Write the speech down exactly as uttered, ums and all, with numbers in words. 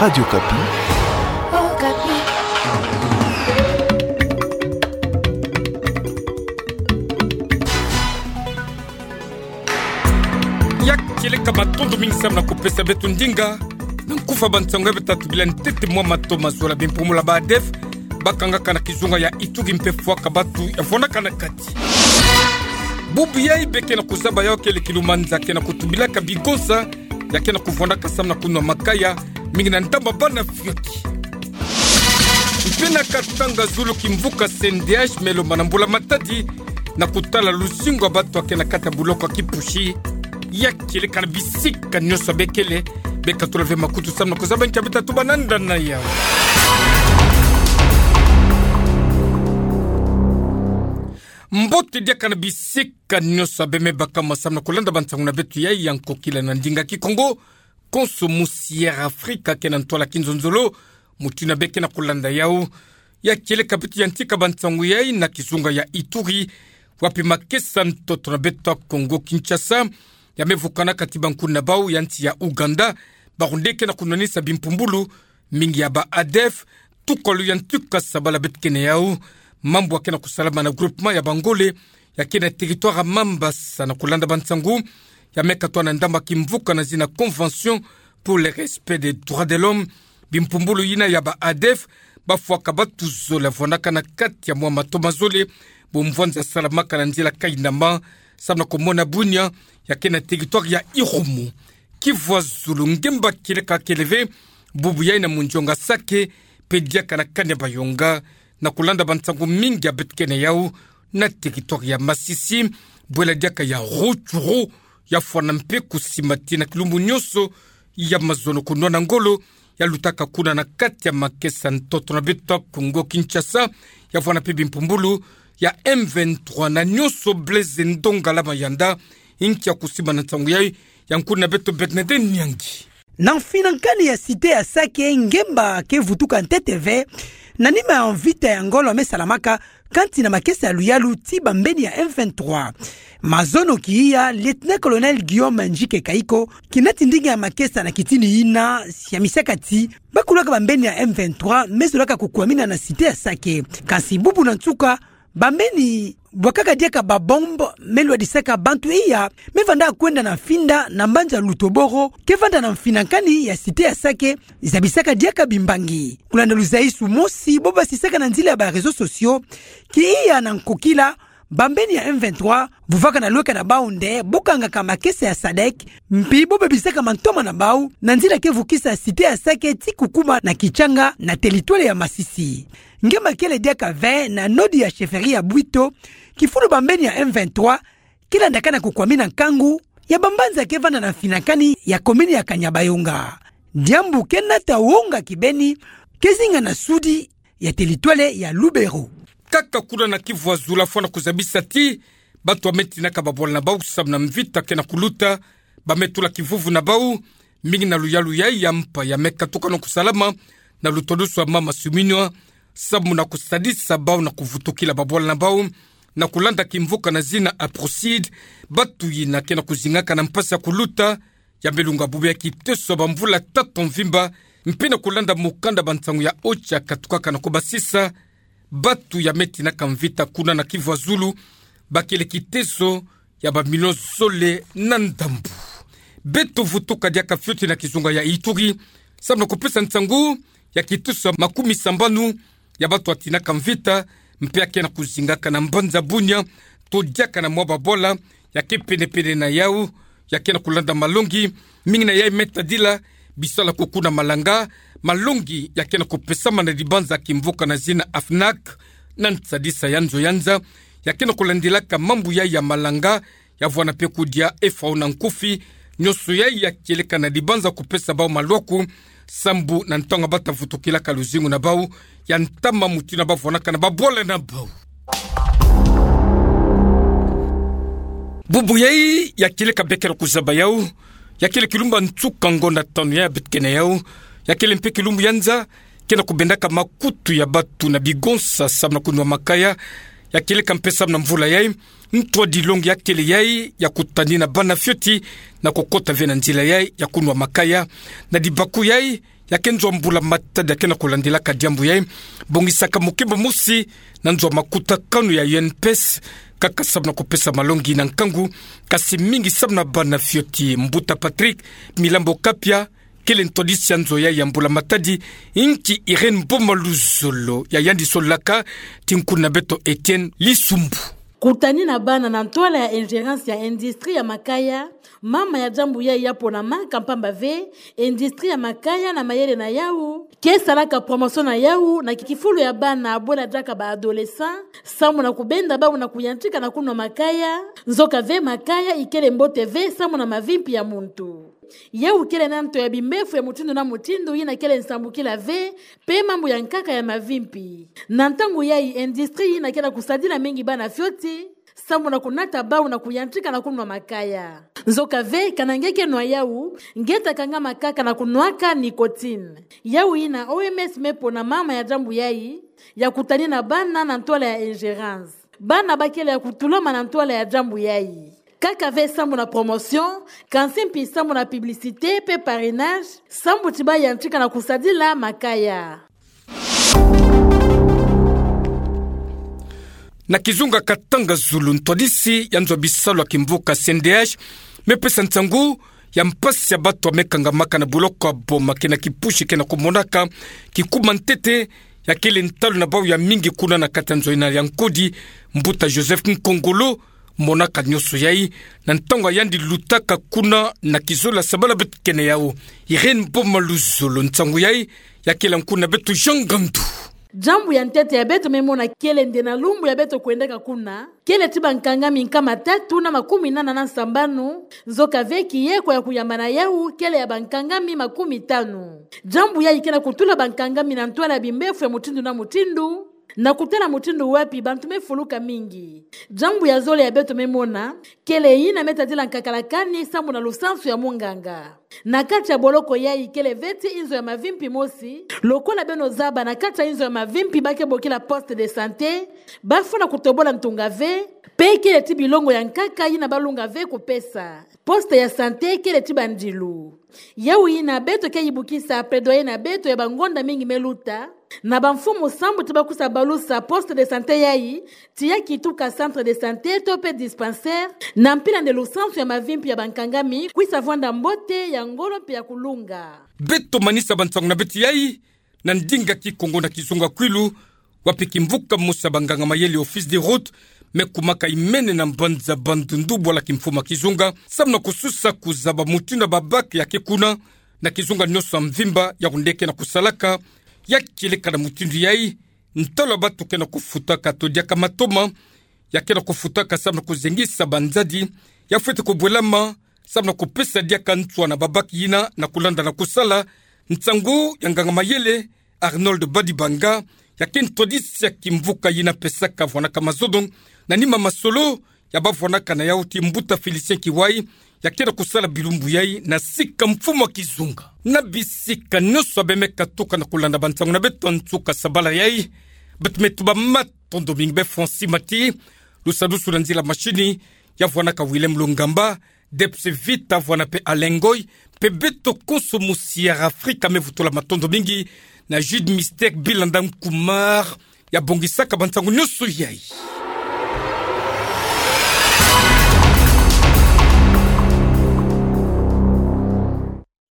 Radio Okapi. Ya kieleka, matondo mingi samu na kupesa beto ndinga. Na nkufi ya bansangu ya beto tubila ntete mwa mato mazola. Bimpumulo ya ba ADEF bakangaka na kizunga ya Ituri mpe fwaka batu ya vwandaka na kati. Bubu yayi beke na kuzaba yawu, kele kilumanza ke na kutubilaka bigonsa ya ke na kuvwandaka samu na kunwa makaya, mingi na ntama bana fioti. Mpe na Katanga zulu, kimvuka C N D H me lomba na mbula matadi na kutala luzingu ya batu ya ke na kati ya buloko ya Kipushi. Ya kieleka na bisika nyonso bekele, beka tula ve makutu samu na kuzaba nkia beto tatuba na ndani ya yawu. Mbote diaka na bisika nyonso abe me baka mwa samu na kulanda bansangu na beto yayi ya nkokila na ndinga Kikongo, konso musi Air Afrique ke na ntwala kinzonzolo, mutindu beke na kulanda yawu. Ya kieleka beto yantika bansangu yayi na kizunga ya Ituri, wapi makesa ntoto na beto ya Kongo Kinshasa ya me vukana kati bankundu na bawu ya nsi ya Ouganda, bawu nde ke na kunwanisa bimpumbulu mingi ya ba ADEF, tuka lo yantika sabala beto ke na yawu. Mambu ya ke na kusalama na groupement ya Bangole, ya ke na territoire ya Mambasa, na kulanda bansangu ya me katwa na ndambu ya kimvuka na zina Convention pour le respect des droits de l'homme. Bimpumbulu yina ya ba ADEF bafwaka batu zole ya vwandaka na kati ya mwa mato mazole, bo mvwanza salamaka na nzila Kainama, samu na kumona Bunia, ya ke na territoire ya Irumu. Kivu ya zulu, ngemba kieleka kele ve bubu yayi na munzionga Sake, mpe diaka na Kanyabayonga, na kulanda bansangu mingi ya beto ke na yawu na territoire ya Masisi. Bwela diaka ya Rutshuru ya fwana mpe kusimati na kilumbu nyonso ya mazono kunwana ngolo, ya lutaka kuna na kati ya makesa ntoto na beto ya Kongo Kinshasa, ya vwana mpe bimpumbulu ya M vingt-trois na nyonso Blaise Ndongala Mayanda, inki ya kusiba na nsangu yayi, ya nkulu na beto Bernadette Nyangi. Na mfinankani ya cité ya Sake, ngemba ke vutuka ntete ve, na nima ya mvita ya ngolo ya me salamaka kansi na makesa ya luyalu ti bambeni ya M vingt-trois. Mazono kiya, Lieutenant-colonel Guillaume Ndjike Kaiko, kinati ndinga ya makesa na kitini yina, ya misaka ti bakulaka bambeni ya M vingt-trois me zolaka kukwamina na cité ya Sake. Kansi bubu na nsuka, bambeni bwakaka diaka ba bombe me lwadisaka bantu iya me vanda kwenda na mfinda na mbanza Lutoboro, ke vanda na mfinankani ya cité ya Sake, zabisaka diaka bimbangi. Kulanda luzaisu mosi bo basisaka na nzila ya ba réseaux sociaux, kiya na nkokila, bambeni ya M vingt-trois vovaka na lweka na bawu nde bo kangaka makesa ya sadec, mpi bo bebisaka mantoma na bawu na nzila ke vukisa cité ya Sake ti kukuma na Kitshanga na territoire ya Masisi. Ngemba kele diaka ve na nord ya chefferie ya Bwito, kifulu bambeni ya M vingt-trois ke landaka na kukwamina nkangu ya bambanza ke vanda na mfinankani ya commune ya Kanyabayonga. Diambu ke nata wonga kibeni, ke zinga na sudi ya territoire ya Lubero. Kaka kuna na Kivu ya zulu, fwana kuzabisa ti bantu ya me tinaka babwala na bawu samu na mvita ke na kuluta, ba me tula kivuvu na bawu, mingi na luyalu yayi ya mpa ya me katuka na kusalama na lutodusu ya mama Suminwa, samu na kusadisa bawu na kuvutukila babwala na bawu, na kulanda kimvuka na zina Aprocide. Bantu yina ke na kuzingaka na mpasi ya kuluta, ya me lunga bubu ya kiteso ya bamvula tatu mvimba, mpe na kulanda mukanda bansangu ya OCHA katukaka na kubasisa, bantu ya me tinaka mvita kuna na Kivu ya zulu bakele kiteso ya bamilio zole na ndambu. Beto vutuka diaka fioti na kizunga ya Ituri, samu na kupesa nsangu ya kiteso ya makumi sambanu ya bantu ya tinaka mvita, mpe ya ke na kuzingaka na mbanza Bunia, to diaka na mwa babwala ya ke pene-pene na yawu, ya ke na kulanda malongi, mingi na yayi me tadila bisalu ya kukuna malanga, malongi ya ke na kupesama na dibanza kimvuka na zina AFNAC, na nsadisa ya nzo ya nza ya ke na kulandilaka mambu yayi ya malanga, ya vwana mpe kudia F A O na nkufi, nyonso yayi ya kieleka na dibanza kupesa bawu malwaku, sambu na ntangu ba ta vutukilaka luzingu na bawu, ya ntama mutindu ba vwanaka na babwala na bawu. Bubu yayi ya kieleka beke na kuzaba yawu, ya kele kilumbu ya nsuka ngonda tanu ya beto ke na yawu, ya kele mpe kilumbu ya nza ke na kubendaka makutu ya bantu na bigonsa samu na kunwa makaya. Ya kieleka mpe samu na mvula yayi, ntwadilongi ya kele yayi ya kutanina bana fioti na kukota ve na nzila yayi ya kunwa makaya. Na dibaku yayi, Ya ke nzo a mbula matadi ya ke na kulandilaka diambu yai, bongisaka mukimba mosi na nzo a makutakanu ya U N P S, kaka samu na kupesa malongi na nkangu, kasi mingi samu na bana fioti. Mbuta Patrick Milambo Kapia, kele ntwadisi ya nzo yai ya mbula matadi, inki Irène Mboma Luzolo, ya yandi solaka, ti nkuna beto Etienne Lisumbu. Kutani na bana na ntwala ya ingérence ya industrie ya makaya, mama ya diambu yai ya ponamaka mpamba ve, industrie ya makaya na mayele na yau, ke salaka promotion na yau, na kifulu ya bana bwela diaka ba adolescent, samu na kubenda bau na kuyantika na kunwa makaya, nzoka ve makaya ikele mbote ve samu na mavimpi ya muntu. Yau kele na nto ya bimbefu ya mutindu na mutindu yina kele nsambukila ve, pe mambu ya nkaka ya mavimpi. Na ntangu yai industrie yina ke na kusadila mingi bana fioti, samu na kunata bau na kuyantika na kunwa makaya. Nzoka ve, kana nge ke nwa yau, nge ta kangama kaka na kunwaka nicotine. Yau yina O M S me pona mama ya diambu yai, ya kutani na bana na ntwala ya ingérence. Bana ba kele ya kutulama na ntwala ya diambu yai. Kaka ve samu na promotion, kansi mpi samu na publicité pe parrainage, samu ti ba yantika na kusadila makaya. Na kizunga Katanga Zulu, ntwadisi ya nzo a bisalu ya kimvuka C N D H me pesa nsangu ya mpasi ya batu ya me kangamaka na buloko ya Boma kena kipushi ke na kumonaka kikuma ntete, ya kele ntalu na bau ya mingi kuna na kati ya nzo yina ya nkodi, mbuta Joseph Nkongolo, monaka nionso yai, na ntangu ya yandi lutaka kuna na kizolo ya sabala beto kene yau. Irène Mboma Luzolo, nsangu yai, ya kela nkuna beto Jean Ngandu. Diambu ya ntete ya beto me mona kele nde na lumbu ya beto kwendaka kuna, kele ti bankangami nkama tatu na makumi nana na sambanu, nzoka ve kiyeko ya kuyamba na yau kele ya bankangami makumi tanu. Diambu yai ke na kutula bankangami na ntwala ya bimbefu ya mutindu na mutindu, na kutala mutindu wapi bantu me fuluka mingi. Diambu ya zole ya beto me mona, kele yina me tadila nkakala kani samu na lusansu ya munganga. Na kati ya boloko yai kele ve ti inzo ya mavimpi mosi, lokola beno zaba na kati ya inzo ya mavimpi ba ke bokila poste de santé, ba funa kutobola ntunga ve, pe kele ti bilongo ya nkaka yina ba lunga ve kupesa. Poste ya santé kele ti bandilu. Yau yina beto ke yibukisa plaidoyer na beto ya bangonda mingi me luta, na bamfumu sambu ti ba kusa balusa poste de santé yai, ti ya kituka centre de santé to pe dispensaire, na mpila nde lusansu ya mavimpi ya bankangami kwisa vwanda mbote ya ngolo mpe ya kulunga. Beto manisa bansangu na beto yai na ndinga Kikongo na kizunga Kwilu, wapi kimvuka mosi ya banganga mayele, Office des routes, me kumaka imene na mbanza Bandundu, bwala kimfumu ya kizunga, samu na kususa kuzaba mutindu ya ba bac ya ke kuna, na kizunga nionso ya mvimba, ya kunde ke na kusalaka, ya kieleka na mutindu yai, ntalu ya batu ke na kufutaka to diaka matoma, ya ke na kufutaka samu na kuzengisa banzadi, ya fwete kubwelama, samu na kupesa diaka nswa na ba bac yina na kulanda na kusala. Nsangu ya nganga mayele Arnold Badibanga, ya ke ntwadisi ya kimvuka yina pesaka vwanaka mazono na nima masolo ya ba vwanaka na yau ti mbuta Félicien Kiwai, ya ke na kusala bilumbu yai na sika mfumu ya kizunga. Na bisika nionso ya bemeka tuka na kulanda bansangu na beto nsuka sabala yai, beto me tuba matondo mingi. Bê Francis Mati, lusadusu na nzila mashini, ya vwanaka Willem Lungamba, Debs Vita vwana pe Alengoi, mpe beto konso mosi ya Afrika me vutula matondo mingi, na Jude Mister Bilanda Nkumar, ya bongisaka bansangu nionso yai.